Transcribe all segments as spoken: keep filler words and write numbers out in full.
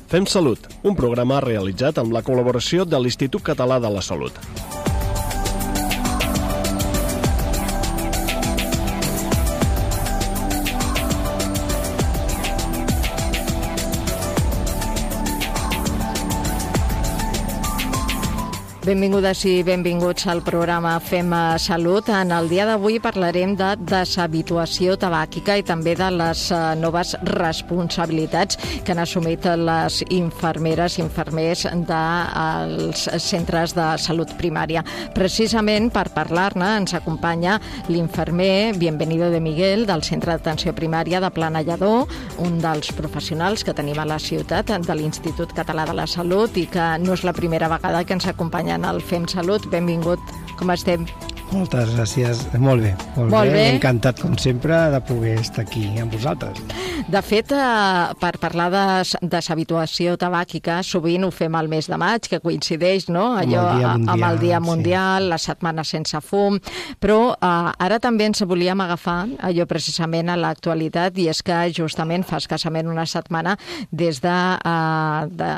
Fem Salut, un programa realitzat amb la col·laboració de l'Institut Català de la Salut. Benvingudes i benvinguts al programa Fem Salut. En el dia d'avui parlarem de deshabituació tabàquica i també de les noves responsabilitats que han assumit les infermeres i infermers dels centres de salut primària. Precisament per parlar-ne ens acompanya l'infermer Bienvenido de Miguel del Centre d'Atenció Primària de Planellador, un dels professionals que tenim a la ciutat de l'Institut Català de la Salut i que no és la primera vegada que ens acompanya en el Fem Salut. Benvingut, com estem? Moltes gràcies, molt bé, molt, molt bé. bé. Encantat, com sempre, de poder estar aquí amb vosaltres. De fet, eh, per parlar de deshabituació tabàquica, sovint ho fem al mes de maig, que coincideix, no? Allò, amb el Dia Mundial, amb el dia mundial sí. La setmana sense fum, però eh, ara també ens volíem agafar allò precisament a l'actualitat, i és que justament fa escassament una setmana des de, eh, de,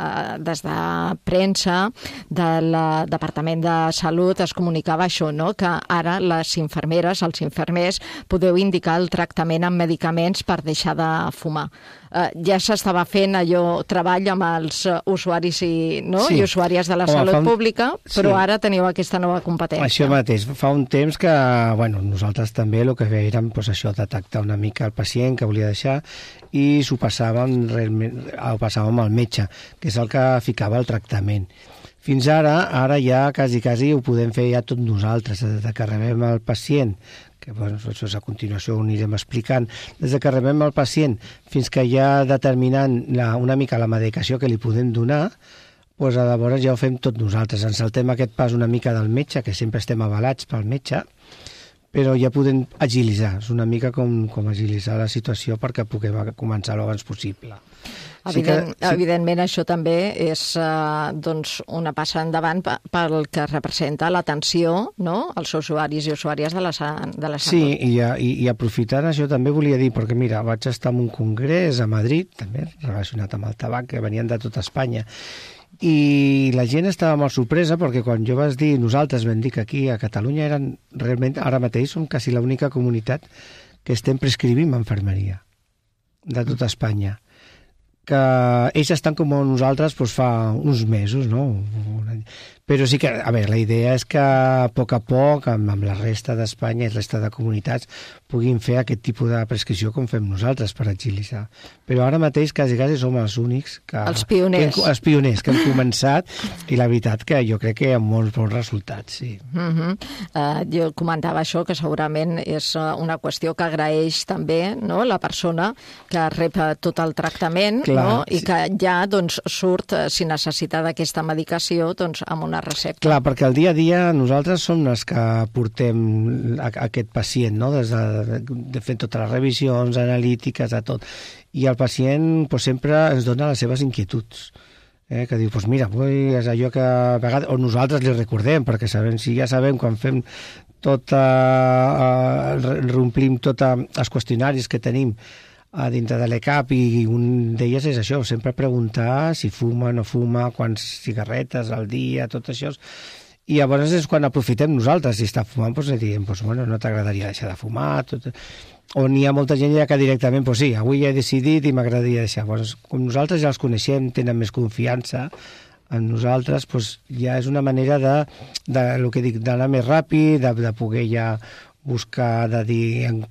des de premsa del Departament de Salut es comunicava això, no? Que ara les infermeres, els infermers, podeu indicar el tractament amb medicaments per deixar de fumar. Eh, ja s'estava fent allò treball amb els usuaris i, no? sí. i usuàries de la Home, salut un... pública, però sí. ara teniu aquesta nova competència. Això mateix. Fa un temps que, bueno, nosaltres també el que fèiem pues, això, detectar una mica el pacient que volia deixar i s'ho passàvem, realment, ho passàvem al metge, que és el que ficava el tractament. Fins ara, ara ja quasi, quasi ho podem fer ja tot nosaltres, des que rebem el pacient, que bueno, això a continuació ho anirem explicant, des que rebem el pacient fins que ja determinant la, una mica la medicació que li podem donar, doncs llavors ja ho fem tot nosaltres. Ens saltem aquest pas una mica del metge, que sempre estem avalats pel metge, però ja podem agilitzar, és una mica com, com agilitzar la situació perquè puguem començar l'abans possible. Evident, sí que, sí. Evidentment, això també és eh, doncs una passa endavant pel que representa l'atenció, no?, als usuaris i usuàries de la, de la salut. Sí, i, i, i aprofitant això també volia dir, perquè mira, vaig estar en un congrés a Madrid, també relacionat amb el tabac, que venien de tota Espanya, i la gent estava molt sorpresa perquè quan jo vaig dir, nosaltres vam dir que aquí a Catalunya eren realment, ara mateix som quasi l'única comunitat que estem prescrivint infermeria de tota Espanya, que ells estan com nosaltres doncs, fa uns mesos, no? Però sí que, a veure, la idea és que a poc a poc, amb, amb la resta d'Espanya i la resta de comunitats, puguin fer aquest tipus de prescripció com fem nosaltres per agilitzar. Però ara mateix quasi, quasi som els únics que... Els pioners. Que, els pioners que hem començat, i la veritat que jo crec que hi ha molts bons resultats, sí. Uh-huh. uh, jo comentava això, que segurament és una qüestió que agraeix també, no?, la persona que rep tot el tractament, Clar, no?, i sí. que ja doncs, surt, si necessita d'aquesta medicació, doncs, amb una recepta. Clar, perquè el dia a dia nosaltres som els que portem a, a aquest pacient, no?, des de, de fer totes les revisions analítiques, a tot. I el pacient pues, sempre ens dona les seves inquietuds. Eh, que diu, pues mira, pues, és allò que a vegades, o nosaltres li recordem, perquè sabem, si ja sabem quan fem tota, eh, reomplim tots els qüestionaris que tenim a dintre de l'E C A P, i un d'elles és això, sempre preguntar si fuma, no fuma, quants cigarretes al dia, tot això. I llavors és quan aprofitem nosaltres, si està fumant, doncs li diem, doncs, bueno, no t'agradaria deixar de fumar, tot... o n'hi ha molta gent ja que directament, doncs sí, avui he decidit i m'agradaria deixar. Doncs, com nosaltres ja els coneixem, tenen més confiança en nosaltres, doncs ja és una manera de, de el que dic, d'anar més ràpid, de, de poder ja buscar, de dir,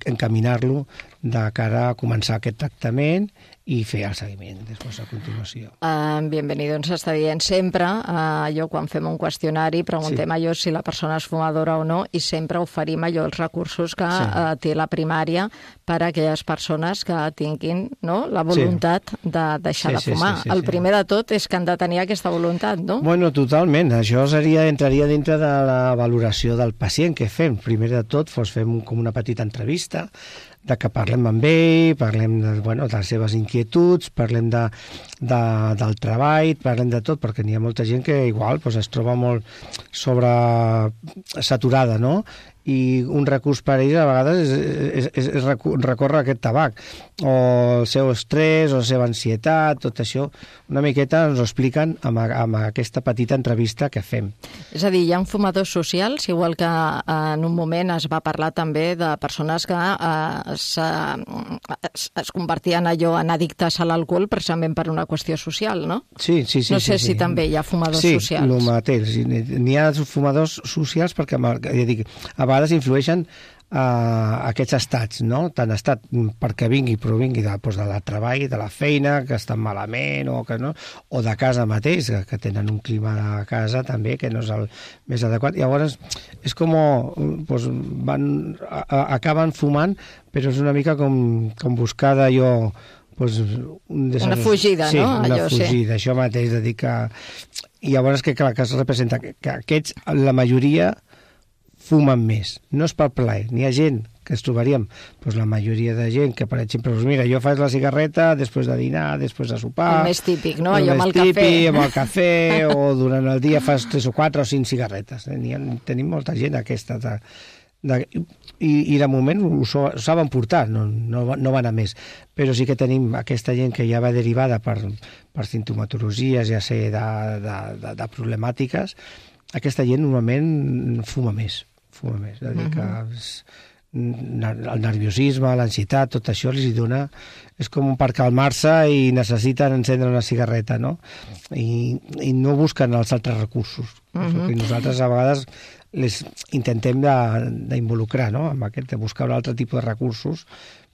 encaminar-lo de cara a començar aquest tractament i fer el seguiment després a continuació. Uh, Bienvenido ens està dient sempre, uh, allò quan fem un qüestionari, preguntem sí. allò si la persona és fumadora o no, i sempre oferim allò els recursos que sí. uh, té la primària per a aquelles persones que tinguin, no?, la voluntat sí. de deixar sí, de fumar. Sí, sí, sí, el primer sí. de tot és que han de tenir aquesta voluntat, no? Bueno, totalment. Això seria, entraria dintre de la valoració del pacient que fem. Primer de tot, doncs, fem com una petita entrevista de que parlem amb ell, parlem de, bueno, de les seves inquietuds, parlem de, de, del treball, parlem de tot, perquè n'hi ha molta gent que igual doncs, es troba molt sobre saturada, no? i un recurs per a ells a vegades és, és, és recórrer a aquest tabac, o el seu estrès, o la seva ansietat, tot això, una miqueta ens ho expliquen amb, amb aquesta petita entrevista que fem. És a dir, hi ha fumadors socials, igual que en un moment es va parlar també de persones que eh, es, es, es convertien allò en addictes a l'alcohol precisament per una qüestió social, no? Sí, sí, sí. No sé sí, si sí. també hi ha fumadors sí, socials. Sí, el mateix. N'hi ha fumadors socials perquè, ja dic, a vegades influeixen uh, aquests estats, no? Tant estat perquè vingui, però vingui de, doncs, de la treball, de la feina, que estan malament, o, que no, o de casa mateix, que, que tenen un clima de casa també, que no és el més adequat. I llavors és com doncs, van, a, a, acaben fumant, però és una mica com, com buscar d'allò... Pues, un una fugida, sí, no? Una Allò, fugida, sí. Això mateix, de dir que... I llavors que, clar, que es representa que, que aquests, la majoria, fumen més. No és pel plaer. N'hi ha gent que es trobaríem, doncs la majoria de gent que, per exemple, doncs mira, jo faig la cigarreta després de dinar, després de sopar... El més típic, no? El Allò amb el típic, cafè. amb el cafè, o durant el dia fas tres o quatre o cinc cigarretes. Eh? Ha, tenim molta gent aquesta... De, de, i, i de moment ho, ho saben portar, no, no, no van a més. Però sí que tenim aquesta gent que ja va derivada per, per sintomatologies, ja sé, de, de, de, de problemàtiques. Aquesta gent normalment fuma més. Fuma més. És a dir, que és, el nerviosisme, l'ansietat, tot això els hi dona... És com per calmar-se i necessiten encendre una cigarreta, no? I, i no busquen els altres recursos. Uh-huh. I nosaltres a vegades les intentem d'involucrar, no? Amb aquest, de buscar un altre tipus de recursos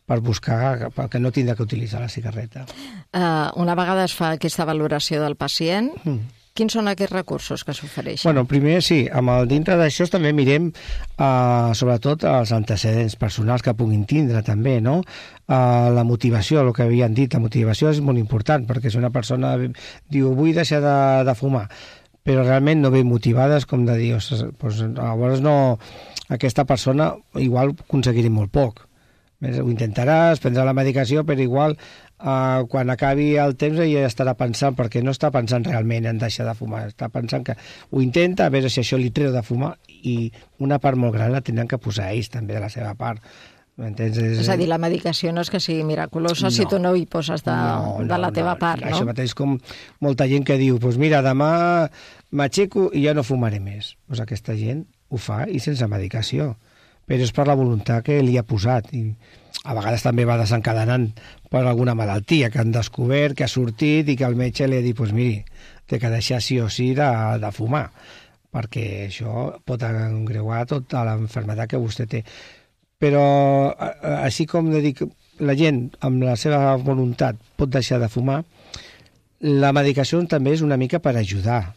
per buscar, perquè no tindrà que utilitzar la cigarreta. Uh, una vegada es fa aquesta valoració del pacient, mm. quins són aquests recursos que s'ofereixen? Bueno, primer sí, amb el dintre d'això també mirem uh, sobretot els antecedents personals que puguin tindre també, no? Uh, la motivació, el que havien dit, la motivació és molt important, perquè si una persona diu vull deixar de, de fumar, però realment no ve motivades, com de dir, doncs, llavors no, aquesta persona igual aconseguirà molt poc. Ho intentaràs, prendrà la medicació, però igual eh, quan acabi el temps ja estarà pensant, perquè no està pensant realment en deixar de fumar, està pensant que ho intenta, a veure si això li treu de fumar, i una part molt gran la tenen que posar ells també de la seva part. És... és a dir, la medicació no és que sigui miraculosa no. si tu no hi poses de, no, no, de la teva no. part, no? Això mateix com molta gent que diu, pues mira, demà m'aixeco i ja no fumaré més. Pues aquesta gent ho fa i sense medicació, però és per la voluntat que li ha posat, i a vegades també va desencadenant per alguna malaltia que han descobert, que ha sortit i que el metge li ha dit, pues miri, té que deixar sí o sí de, de fumar, perquè això pot engreuar tota l'enfermedad que vostè té. Però així com de dir que la gent amb la seva voluntat pot deixar de fumar, la medicació també és una mica per ajudar,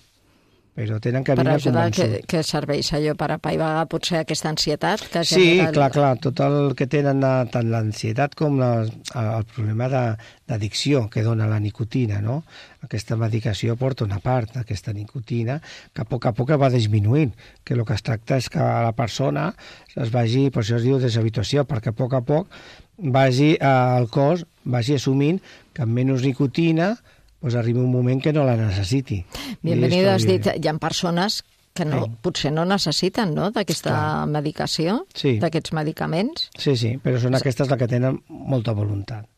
però tenen que vindre convençuts. Per ajudar, convençut. que, que serveix allò per apaivagar potser aquesta ansietat? Que sí, genera... clar, clar, tot el que tenen, tant l'ansietat com la, el problema d'addicció que dona la nicotina, no? Aquesta medicació porta una part d'aquesta nicotina que a poc a poc va disminuint, que el que es tracta és que la persona es vagi, per això es diu deshabituació, perquè a poc a poc vagi al cos, vagi assumint que amb menys nicotina pues arriba un moment que no la necessiti. Bienvenido, has dit, hi ha persones que no, sí. potser no necessiten, no?, d'aquesta medicació, sí. d'aquests medicaments. Sí, sí, però són aquestes les que tenen molta voluntat.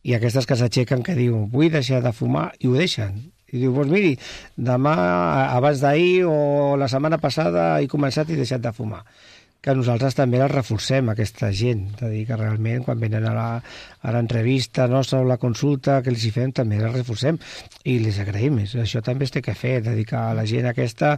I aquestes que s'aixequen que diuen, vull deixar de fumar, i ho deixen. I diu, doncs miri, demà, abans d'ahir o la setmana passada he començat i he deixat de fumar. Que nosaltres també la reforcem, aquesta gent, de dir que realment quan venen a la, a l'entrevista nostra o la consulta que els hi fem també la reforcem i les agraïm. Això també es té que fer, dedicar a la gent aquesta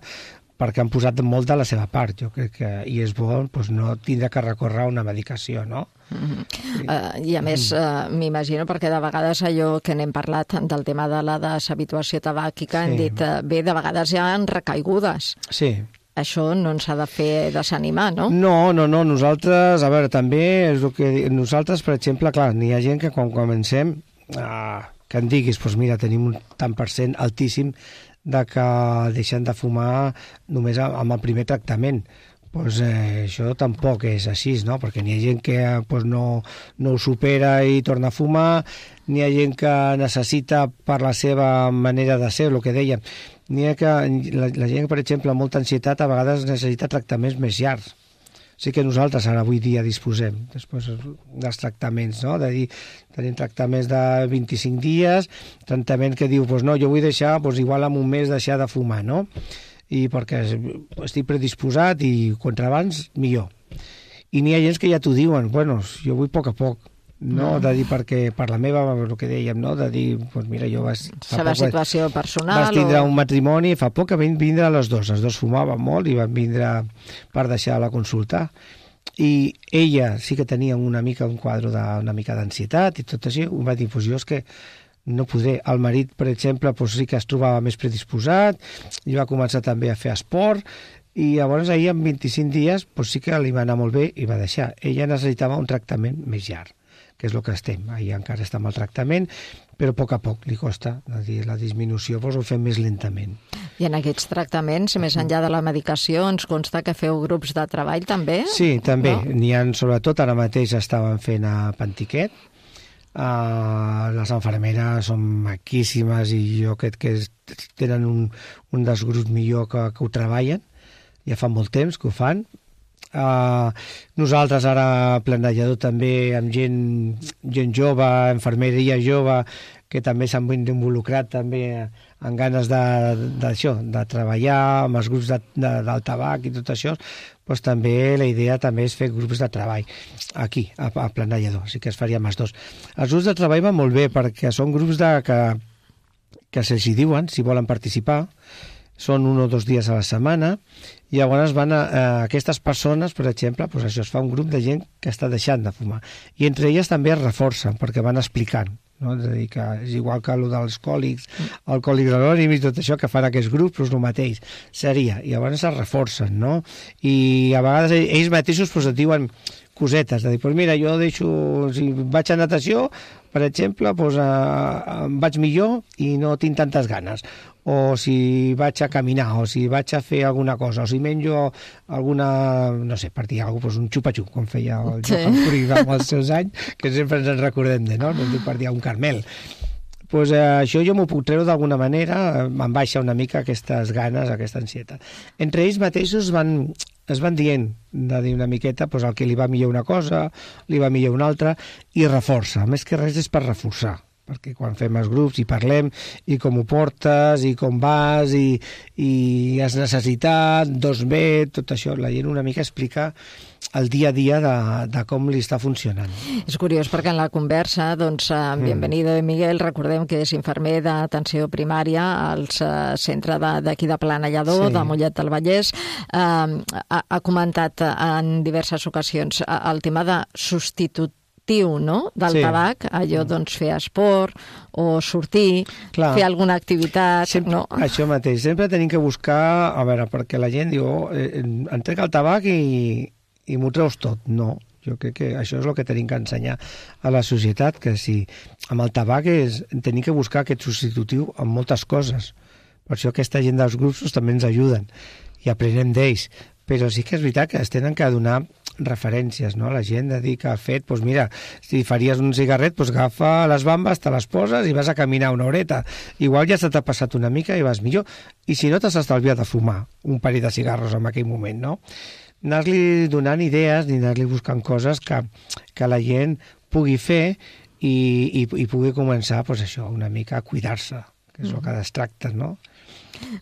perquè han posat molt de la seva part, jo crec que i és bo doncs, no tindre que recórrer a una medicació, no? Mm-hmm. Sí. Uh, I a més, uh, m'imagino, perquè de vegades allò que n'hem parlat del tema de la deshabituació tabàquica, sí. hem dit, uh, bé, de vegades hi ha recaigudes. Sí. Això no ens ha de fer desanimar, no? No, no, no. Nosaltres, a veure, també és el que... Nosaltres, per exemple, clar, n'hi ha gent que quan comencem, ah, que em diguis, doncs mira, tenim un tant per cent altíssim de que deixen de fumar només amb el primer tractament. Doncs eh, això tampoc és així, no? Perquè n'hi ha gent que pues, no, no ho supera i torna a fumar, n'hi ha gent que necessita per la seva manera de ser, el que dèiem. N'hi ha que la, la gent, per exemple, amb molta ansietat, a vegades necessita tractaments més llargs. Sí que nosaltres ara avui dia disposem després dels tractaments, no? De dir, tenim tractaments de vint-i-cinc dies, tractament que diu, pues no, jo vull deixar, pues igual en un mes deixar de fumar, no? I perquè estic predisposat i contra abans, millor. I n'hi ha gent que ja t'ho diuen, bueno, jo vull a poc a poc, no? De dir, perquè per la meva, el que dèiem, no? De dir, pues mira, jo vas... La seva situació personal... Vas tindre o... un matrimoni, fa poc que van vindre les dos, els dos fumaven molt i van vindre per deixar la consulta. I ella sí que tenia una mica un quadre d'una mica d'ansietat i tot així, em va dir, pues jo és que no podré. El marit, per exemple, pues sí que es trobava més predisposat i va començar també a fer esport i llavors ahir en vint-i-cinc dies pues sí que li va anar molt bé i va deixar. Ella necessitava un tractament més llarg, que és el que estem. Ahir encara està amb el tractament, però a poc a poc li costa. És a dir, la disminució pues, ho fem més lentament. I en aquests tractaments, més enllà de la medicació, ens consta que feu grups de treball també? Sí, també. No? N'hi ha, sobretot, ara mateix estaven fent a Pantiquet. Uh, les infermeres són maquíssimes i jo crec que tenen un, un dels grups millor que, que ho treballen. Ja fa molt temps que ho fan. Uh, nosaltres ara planejador també amb gent, gent jove, infermeria jove, que també s'han involucrat també en ganes d'això, de, de, de treballar amb els grups de, de, del tabac i tot això, doncs també la idea també és fer grups de treball aquí, a, a Planellador, sí que es faria amb els dos. Els grups de treball van molt bé perquè són grups de, que, que se'ls hi diuen si volen participar, són un o dos dies a la setmana, i llavors van a, a aquestes persones, per exemple, doncs això es fa un grup de gent que està deixant de fumar. I entre elles també es reforcen, perquè van explicant. No? És a dir, que és igual que el dels còlics, alcohòlics anònims i tot això que fan aquests grups, doncs el mateix seria. I llavors es reforcen, no? I a vegades ells mateixos doncs, et diuen cosetes, de dir, doncs mira, jo deixo, si vaig a natació, per exemple, doncs, eh, em vaig millor i no tinc tantes ganes. O si vaig a caminar, o si vaig a fer alguna cosa, o si menjo alguna, no sé, per dir alguna cosa, un xupa-xup, com feia el sí. Johan Cruyff amb els seus anys, que sempre ens en recordem de, no? No dic per dir un Carmel. Pues, eh, això jo m'ho puc treure d'alguna manera, em baixa una mica aquestes ganes, aquesta ansietat. Entre ells mateixos van, es van dient, de dir una miqueta, pues, el que li va millor una cosa, li va millor una altra, i reforça. Més que res és per reforçar, perquè quan fem els grups i parlem i com ho portes i com vas i, i has necessitat, dos bé, tot això, la gent una mica explica el dia a dia de, de com li està funcionant. És curiós perquè en la conversa, doncs, en Bienvenido de Miguel, recordem que és infermer d'atenció primària al centre d'aquí de, de Planellador, sí. de Mollet del Vallès, eh, ha, ha comentat en diverses ocasions el tema de substitut no? del sí. tabac, allò doncs fer esport o sortir, clar, fer alguna activitat. Sempre, no? Això mateix, sempre tenim que buscar, a veure, perquè la gent diu, oh, eh, em trec el tabac i, i m'ho treus tot. No, jo crec que això és el que tenim que ensenyar a la societat, que si amb el tabac és, tenim que buscar aquest substitutiu en moltes coses. Per això aquesta gent dels grups també ens ajuden i aprenem d'ells. Però sí que és veritat que es tenen que donar referències, no? La gent de dir que ha fet, doncs mira, si faries un cigarret, doncs agafa les bambes, te les poses i vas a caminar una horeta. Igual ja se t'ha passat una mica i vas millor. I si no, t'has estalviat de fumar un parell de cigarros en aquell moment, no? Anar-li donant idees ni anar-li buscant coses que, que la gent pugui fer i, i, i pugui començar, doncs això, una mica a cuidar-se, que és el que es tracta, no?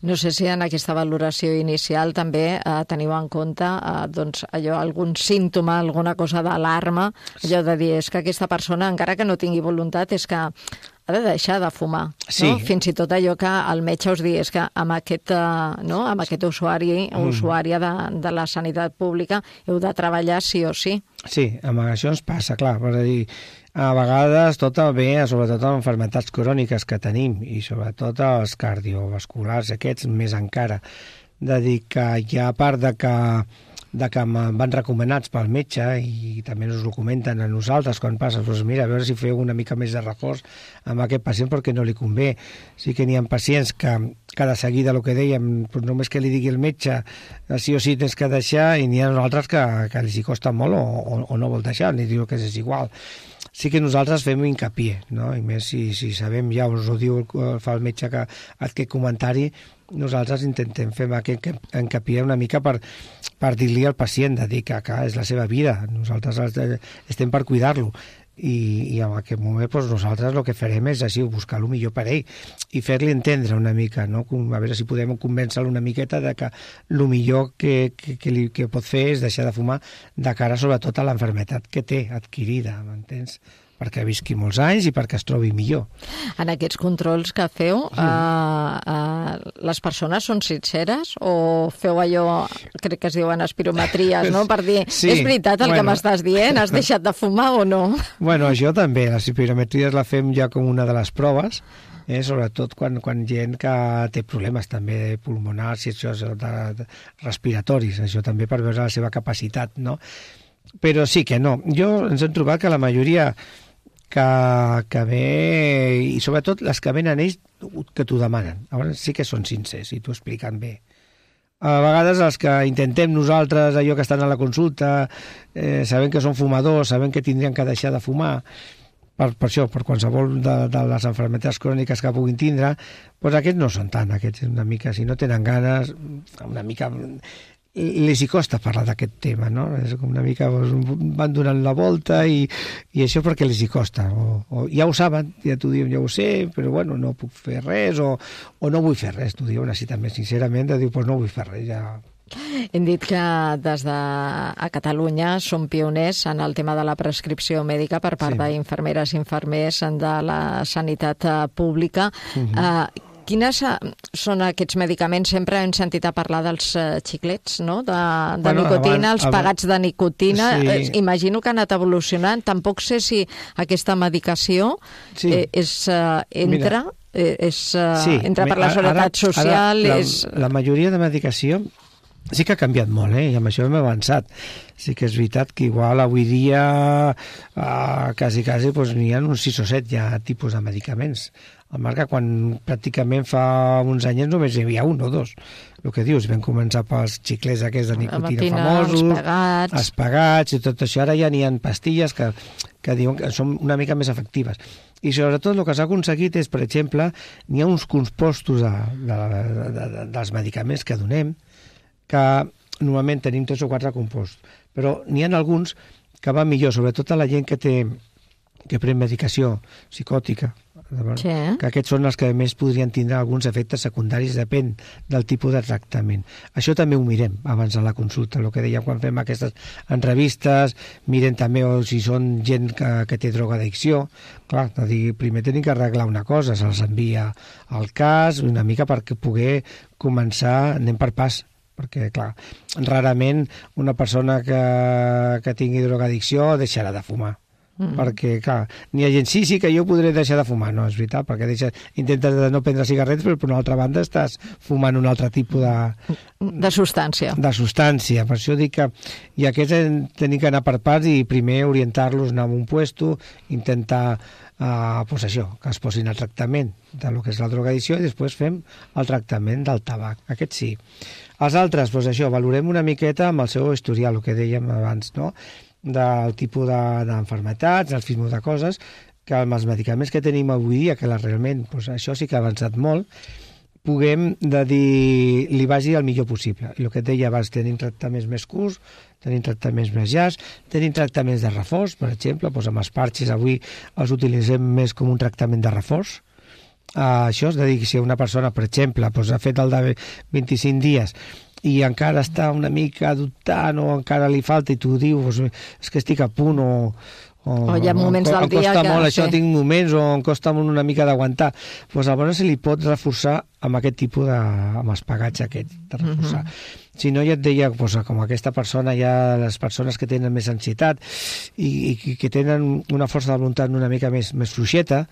No sé si en aquesta valoració inicial també eh, teniu en compte eh, doncs, allò, algun símptoma, alguna cosa d'alarma, allò de dir, és que aquesta persona, encara que no tingui voluntat, és que ha de deixar de fumar. Sí. No? Fins i tot allò que el metge us digui és que amb aquest, eh, no? amb aquest usuari o mm. usuària de, de la sanitat pública heu de treballar sí o sí. Sí, amb això ens passa, clar, per dir, a vegades tot ve, sobretot amb malalties cròniques que tenim i sobretot els cardiovasculars, aquests més encara, de dir que hi ha part de que, de que van recomanats pel metge i també ens ho comenten a nosaltres quan passa, doncs mira, a veure si feu una mica més de reforç amb aquest pacient perquè no li convé. Sí que n'hi ha pacients que, que de seguida el que dèiem, doncs només que li digui el metge sí o sí tens que deixar, i n'hi ha altres que, que els hi costa molt o, o, o no vol deixar, ni diu que és igual. sí que nosaltres fem hincapié, no? I més si, si sabem, ja us ho diu, fa el metge que aquest comentari, nosaltres intentem fer aquest hincapié una mica per, per dir-li al pacient, de dir que, que és la seva vida, nosaltres estem per cuidar-lo. I, i en aquest moment doncs, nosaltres el que farem és així, buscar el millor per ell i fer-li entendre una mica, no? A veure si podem convèncer-lo una miqueta de que el millor que, que, que, li, que pot fer és deixar de fumar de cara sobretot a l'enfermetat que té adquirida, m'entens? Perquè visqui molts anys i perquè es trobi millor. En aquests controls que feu, sí. uh, uh, les persones són sinceres o feu allò, crec que es diuen espirometries, no? Per dir, sí, és veritat el bueno. que m'estàs dient? Has deixat de fumar o no? Bueno, això també, les espirometries la fem ja com una de les proves, eh? Sobretot quan, quan gent que té problemes també pulmonars i això, de, de respiratoris, això també per veure la seva capacitat, no? Però sí que no. Jo ens hem trobat que la majoria que, que ve, i sobretot les que venen ells, que t'ho demanen. Llavors sí que són sincers i t'ho expliquen bé. A vegades els que intentem nosaltres, allò que estan a la consulta, eh, sabem que són fumadors, sabem que tindrien que deixar de fumar, per, per això, per qualsevol de, de les malalties cròniques que puguin tindre, doncs aquests no són tant, aquests una mica, si no tenen ganes, una mica... els hi costa parlar d'aquest tema, no? És com una mica van donant la volta i, i això perquè els hi costa. O, o ja ho saben, ja t'ho diuen, ja ho sé, però bueno, no puc fer res o, o no vull fer res, t'ho diuen així també, sincerament, de dir, doncs no vull fer res, ja... Hem dit que des de a Catalunya som pioners en el tema de la prescripció mèdica per part sí. d'infermeres i infermers de la sanitat pública. Uh-huh. Uh, Quines són aquests medicaments? Sempre hem sentit a parlar dels uh, xiclets, no? De, de bueno, nicotina, abans, els pegats de nicotina. Sí. Eh, imagino que han anat evolucionant. Tampoc sé si aquesta medicació sí. eh, és, uh, entra, eh, és, uh, sí. entra per la seguretat ara, social. Ara, la, és... la majoria de medicació sí que ha canviat molt, eh? I amb això hem avançat. Sí que és veritat que igual avui dia uh, quasi, quasi doncs, n'hi ha uns sis o set ja tipus de medicaments. El marca quan pràcticament fa uns anys només hi havia un o dos. El que dius, vam començar pels xiclets aquests de nicotina famosos, els pegats. els pegats i tot això. Ara ja n'hi ha pastilles que, que diuen que són una mica més efectives. I sobretot el que s'ha aconseguit és, per exemple, n'hi ha uns compostos de, de, de, de, dels medicaments que donem que normalment tenim tres o quatre compostos, però n'hi ha alguns que van millor, sobretot a la gent que té que pren medicació psicòtica, sí. que aquests són els que més podrien tindre alguns efectes secundaris, depèn del tipus de tractament. Això també ho mirem abans de la consulta, el que dèiem quan fem aquestes entrevistes, mirem també o si són gent que, que té drogadicció. Clar, de dir, primer tenim que arreglar una cosa, se'ls envia al cas, una mica perquè poder començar, anem per pas, perquè, clar, rarament una persona que, que tingui drogadicció deixarà de fumar. Mm. Perquè, clar, n'hi ha gent, sí, sí, que jo podré deixar de fumar. No, és veritat, perquè deixes, intentes no prendre cigarrets, però per una altra banda estàs fumant un altre tipus de... De substància. De substància. Per això dic que... I aquests tenim que anar per parts i primer orientar-los, anar a un puesto, intentar, eh, pues això, que es posin al tractament de lo que és la drogadicció i després fem el tractament del tabac. Aquest sí. Els altres, pues això, valorem una miqueta amb el seu historial, el que dèiem abans, no?, del tipus d'enfermetats, de, del tipus de coses, que amb els medicaments que tenim avui dia, que la, realment doncs això sí que ha avançat molt, puguem de dir, li vagi el millor possible. I el que et deia abans, tenim tractaments més curts, tenim tractaments més llargs, tenim tractaments de reforç, per exemple, doncs amb els parxes avui els utilitzem més com un tractament de reforç. Uh, això és de dir, si una persona, per exemple, doncs ha fet el de vint-i-cinc dies i encara està una mica dubtant o encara li falta i tu dius és que estic a punt o, o, o hi ha moments o, del dia que... Em costa molt això, tinc moments o em costa una mica d'aguantar. Doncs llavors se li pot reforçar amb aquest tipus de... amb els pegats aquests, de reforçar. Mm-hmm. Si no, ja et deia, doncs, com aquesta persona, ja les persones que tenen més ansietat i, i que tenen una força de voluntat una mica més, més fluixeta,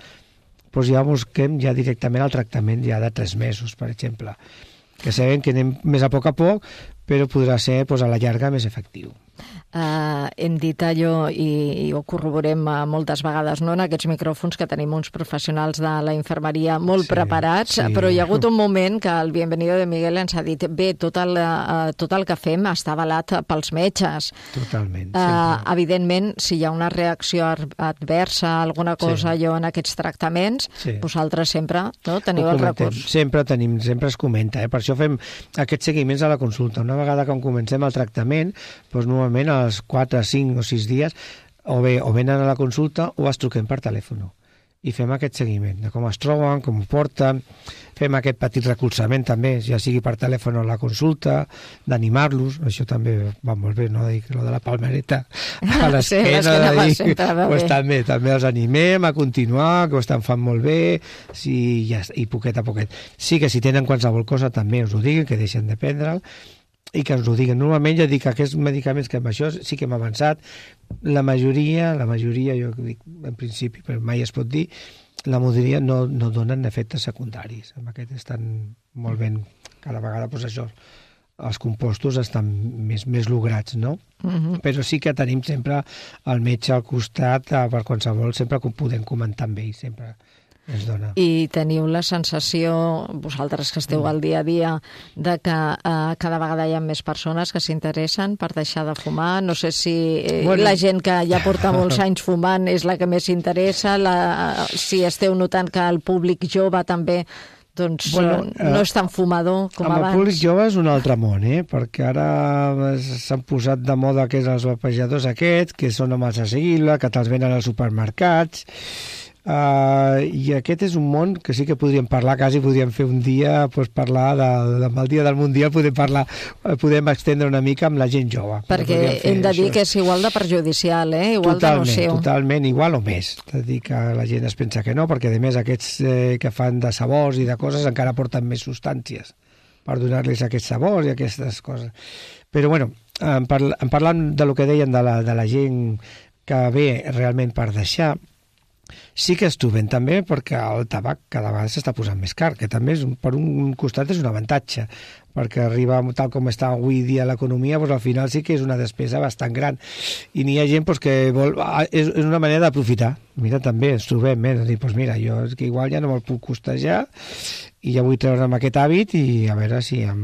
doncs ja busquem ja directament el tractament ja de tres mesos, per exemple, que sabem que anem més a poc a poc, però podrà ser doncs, a la llarga més efectiu. Uh, hem dit allò i, i ho corroborem uh, moltes vegades, no?, en aquests micròfons, que tenim uns professionals de la infermeria molt sí, preparats, sí. Però hi ha hagut un moment que el Bienvenido de Miguel ens ha dit bé, tot el, uh, tot el que fem està avalat pels metges. Totalment. Uh, evidentment, si hi ha una reacció adversa, alguna cosa sí. allò en aquests tractaments, sí. vosaltres sempre no, teniu el recurs. Sempre tenim, sempre es comenta, eh? Per això fem aquests seguiments a la consulta. Una vegada que comencem el tractament, doncs normalment als quatre, cinc o sis dies o bé o venen a la consulta o es truquem per telèfon i fem aquest seguiment de com es troben, com ho porten, fem aquest petit recolzament també, ja sigui per telèfon o a la consulta, d'animar-los, això també va molt bé, no? Dic, lo de la palmereta a l'esquena, sí, de dir, pues també, també els animem a continuar, que ho estan fan molt bé, sí, ja, i poquet a poquet. Sí que si tenen qualsevol cosa també us ho diguin, que deixen de prendre'l, i que ens ho diguen. Normalment ja dic que aquests medicaments que amb això sí que hem avançat, la majoria, la majoria, jo dic en principi, però mai es pot dir, la majoria no, no donen efectes secundaris. Amb aquest estan molt ben, cada vegada, doncs això, els compostos estan més, més lograts, no? Uh-huh. Però sí que tenim sempre el metge al costat per qualsevol, sempre que ho podem comentar amb ell, sempre es dona. I teniu la sensació, vosaltres que esteu al dia a dia, de que eh, cada vegada hi ha més persones que s'interessen per deixar de fumar? No sé si eh, bueno. la gent que ja porta molts anys fumant és la que més s'interessa, la, si esteu notant que el públic jove també doncs bueno, no és tan fumador com amb abans. El públic jove és un altre món, eh? Perquè ara s'han posat de moda que és els vapejadors aquests, que són amb els asseguible, que te'ls venen als supermercats. Uh, i aquest és un món que sí que podríem parlar, quasi podríem fer un dia, pues, parlar de, de, del dia del Mundial, podem parlar, podem extendre una mica amb la gent jove. Perquè hem de dir això. Que és igual de perjudicial, eh? Igual totalment, de nociu. Totalment, igual o més. És a dir, que la gent es pensa que no, perquè a més aquests eh, que fan de sabors i de coses encara porten més substàncies per donar-los aquests sabors i aquestes coses. Però bueno, en, parla, en parlant de lo que deien de la, de la gent que ve realment per deixar, sí que es trobem també perquè el tabac cada vegada s'està posant més car, que també és, per un costat és un avantatge, perquè arriba tal com està avui dia l'economia, doncs al final sí que és una despesa bastant gran. I n'hi ha gent doncs, que vol... És, és una manera d'aprofitar. Mira, també ens trobem, eh? De dir, doncs mira, jo és que igual ja no me'l puc costejar i ja vull treure'm aquest hàbit i a veure si em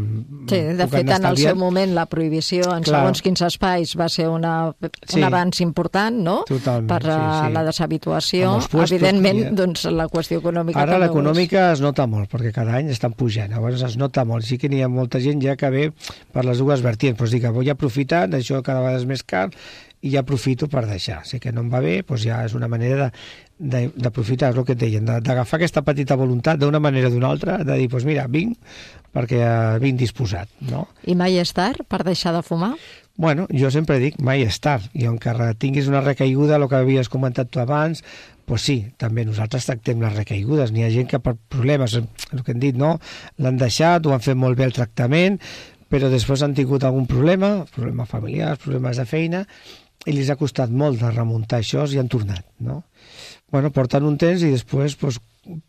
sí, de fet, en el seu moment la prohibició en Clar. segons quins espais va ser una, un sí. avanç important, no? Totalment, per sí, sí. la deshabituació. Puestos, evidentment, ja. doncs la qüestió econòmica... Ara l'econòmica es nota molt, perquè cada any estan pujant, llavors es nota molt. Sí que n'hi ha molta gent ja que ve per les dues vertients, però sí que vull aprofitar, això cada vegada és més car, i ja aprofito per deixar. Si que no em va bé, doncs ja és una manera de d'aprofitar el que et deien, d'agafar aquesta petita voluntat d'una manera o d'una altra, de dir, doncs mira, vinc, perquè vinc disposat, no? I mai és tard per deixar de fumar? Bueno, jo sempre dic, mai és tard, i encara tinguis una recaiguda, el que havies comentat tu abans, doncs sí, també nosaltres tractem les recaigudes, n'hi ha gent que per problemes, el que hem dit, no?, l'han deixat, ho han fet molt bé el tractament, però després han tingut algun problema, problemes familiars, problemes de feina, i els ha costat molt de remuntar això i han tornat, no? Bueno, porten un temps i després pues,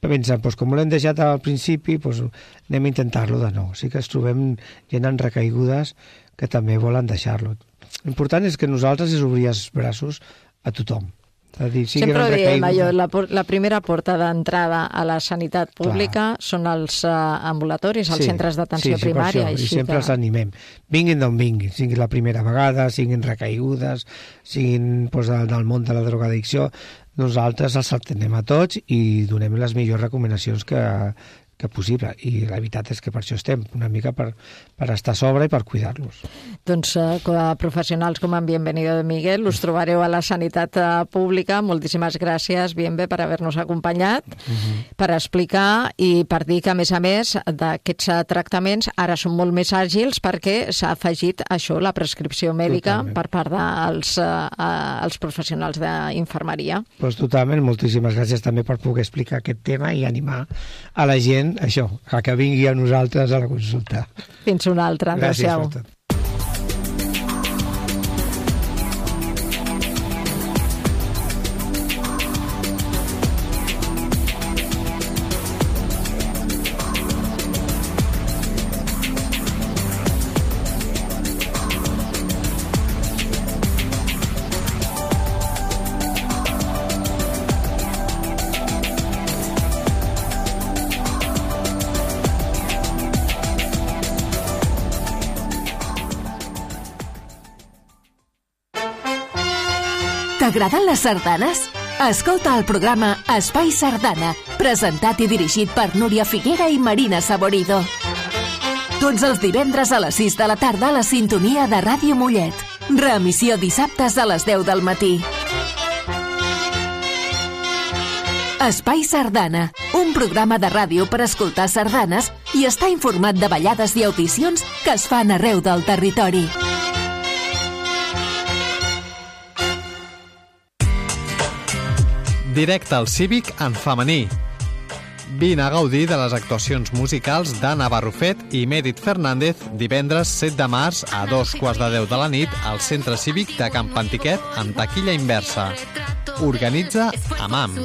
pensen, pues, com l'hem deixat al principi, pues, anem a intentar-lo de nou. Sí que es trobem gent en recaigudes que també volen deixar-lo. L'important és que nosaltres és obrir els braços a tothom. A dir, sí Sempre ho diem, allò, la, la primera porta d'entrada a la sanitat pública Clar. són els uh, ambulatoris, els sí, centres d'atenció sí, sí, primària. Això, així I sempre que... els animem. Vinguin d'on vinguin, siguin la primera vegada, siguin recaigudes, siguin pues, del món de la drogadicció, nosaltres els atenem a tots i donem les millors recomanacions que, que possible. I la veritat és que per això estem, una mica per, per estar a sobre i per cuidar-los. Doncs eh, com a professionals com en Bienvenido de Miguel, us trobareu a la sanitat pública. Moltíssimes gràcies, Bienve, per haver-nos acompanyat, uh-huh. per explicar i per dir que, a més a més, d'aquests tractaments ara són molt més àgils perquè s'ha afegit això, la prescripció mèdica totalment. Per part dels eh, els professionals d'infermeria. Pues totalment, moltíssimes gràcies també per poder explicar aquest tema i animar a la gent això, a que vingui a nosaltres a la consulta. Fins una altra. Gràcies per tot. T'agraden les sardanes? Escolta el programa Espai Sardana, presentat i dirigit per Núria Figuera i Marina Saborido. Tots els divendres a les sis de la tarda a la sintonia de Ràdio Mollet. Reemissió dissabtes a les deu del matí. Espai Sardana, un programa de ràdio per escoltar sardanes i estar informat de ballades i audicions que es fan arreu del territori. Directe al Cívic en femení. Vine a gaudir de les actuacions musicals d'Anna Barrufet i Mèrit Fernández divendres set de març a dos quarts de deu de la nit al Centre Cívic de Can Pantiquet amb taquilla inversa. Organitza AMAM.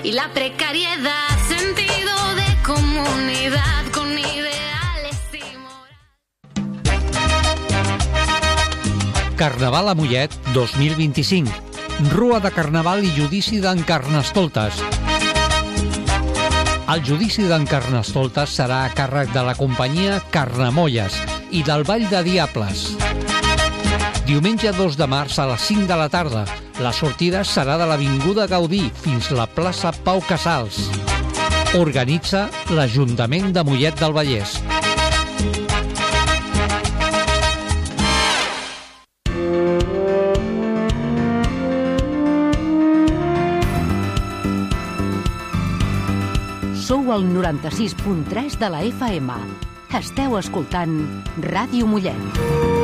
Y la precariedad, sentido de comunidad con ideales y moral. Carnaval a Mollet dos mil vint-i-cinc. Rua de Carnaval i judici d'en Carnestoltes. El judici d'en Carnestoltes serà a càrrec de la companyia Carnamolles i del Ball de Diables. Diumenge dos de març a les cinc de la tarda. La sortida serà de l'Avinguda Gaudí fins a la plaça Pau Casals. Organitza l'Ajuntament de Mollet del Vallès. Sou al noranta-sis punt tres de la F M. Esteu escoltant Ràdio Mollet.